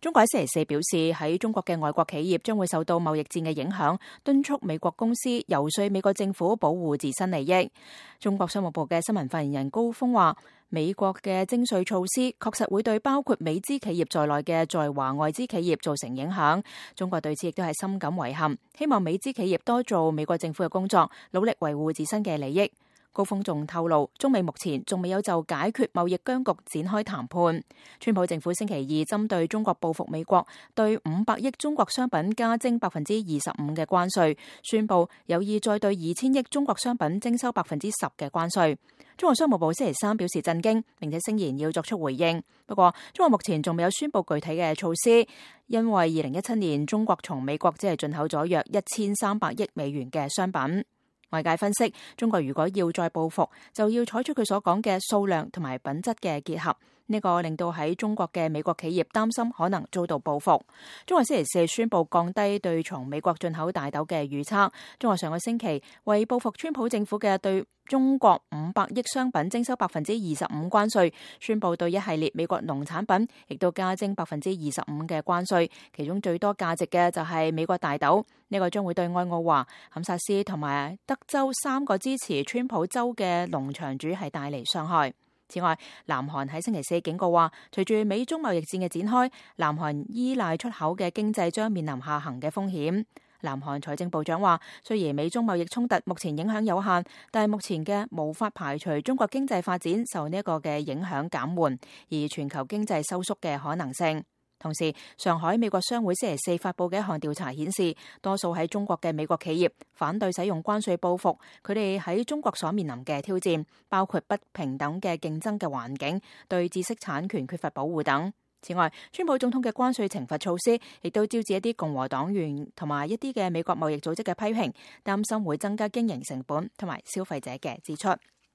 中國喺星期四表示，喺中國嘅外國企業將會受到貿易戰嘅影響，敦促美國公司游說美國政府保護自身利益。中國商務部嘅新聞發言人高峰話，美國嘅徵稅措施確實會對包括美資企業在內嘅在華外資企業造成影響。中國對此亦都係深感遺憾，希望美資企業多做美國政府嘅工作，努力維護自身嘅利益。高峰仲透露，中美目前仲未有就解決貿易僵局展開談判。川普政府星期二針對中國報復美國，對500億中國商品加徵25%嘅關稅，宣布有意再對2000億中國商品徵收10%嘅關稅。中國商務部星期三表示震驚，並且聲言要作出回應。不過，中國目前仲未有宣布具體嘅措施，因為2017年中國從美國只係進口咗約1300億美元嘅商品。外界分析，中國如果要再報復，就要採取佢所講嘅數量同埋品質嘅結合。呢個令到喺中國嘅美國企業擔心可能遭到報復。中國星期四宣布降低對從美國進口大豆嘅預測。中國上個星期為報復川普政府嘅對中國500億商品徵收25%關稅，宣布對一系列美國農產品亦都加徵25%嘅關稅，其中最多價值嘅就係美國大豆。呢個將會對愛奧華、堪薩斯同埋德州3個支持川普州嘅農場主係帶嚟傷害。此外，南韓喺星期四警告話，隨住美中貿易戰嘅展開，南韓依賴出口嘅經濟將面臨下行嘅風險。南韓財政部長話，雖然美中貿易衝突目前影響有限，但係目前嘅無法排除中國經濟發展受呢一個嘅影響減緩，而全球經濟收縮嘅可能性。同時，上海美國商會星期四發佈嘅一項調查顯示，多數喺中國嘅美國企業反對使用關稅報復，佢哋喺中國所面臨嘅挑戰，包括不平等嘅競爭嘅環境、對知識產權缺乏保護等。此外，川普總統嘅關稅懲罰措施亦都招致一啲共和黨員同埋一啲嘅美國貿易組織嘅批評，擔心會增加經營成本同埋消費者嘅支出。